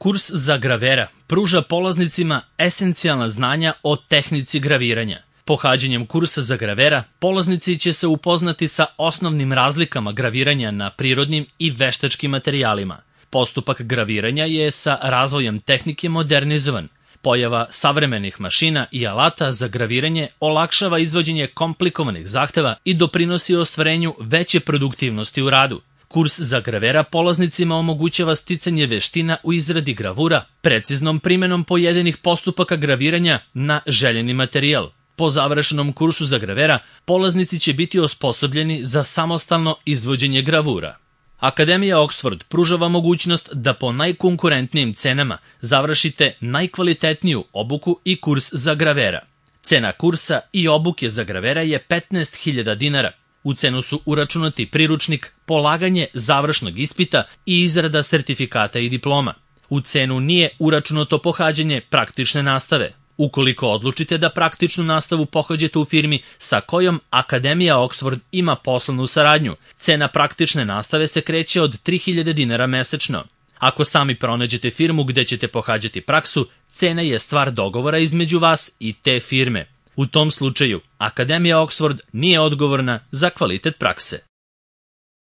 Kurs za gravera pruža polaznicima esencijalna znanja o tehnici graviranja. Pohađanjem kursa za gravera, polaznici će se upoznati sa osnovnim razlikama graviranja na prirodnim i veštačkim materijalima. Postupak graviranja je sa razvojem tehnike modernizovan. Pojava savremenih mašina i alata za graviranje olakšava izvođenje komplikovanih zahteva i doprinosi ostvarenju veće produktivnosti u radu. Kurs za gravera polaznicima omogućava sticanje veština u izradi gravura, preciznom primenom pojedinih postupaka graviranja na željeni materijal. Po završenom kursu za gravera, polaznici će biti osposobljeni za samostalno izvođenje gravura. Akademija Oxford pružava mogućnost da po najkonkurentnijim cenama završite najkvalitetniju obuku i kurs za gravera. Cena kursa i obuke za gravera je 15.000 dinara. U cenu su uračunati priručnik, polaganje završnog ispita i izrada sertifikata i diploma. U cenu nije uračunato pohađanje praktične nastave. Ukoliko odlučite da praktičnu nastavu pohađate u firmi sa kojom Akademija Oxford ima poslovnu saradnju, cena praktične nastave se kreće od 3.000 dinara mesečno. Ako sami pronađete firmu gde ćete pohađati praksu, cena je stvar dogovora između vas i te firme. U tom slučaju, Akademija Oxford nije odgovorna za kvalitet prakse.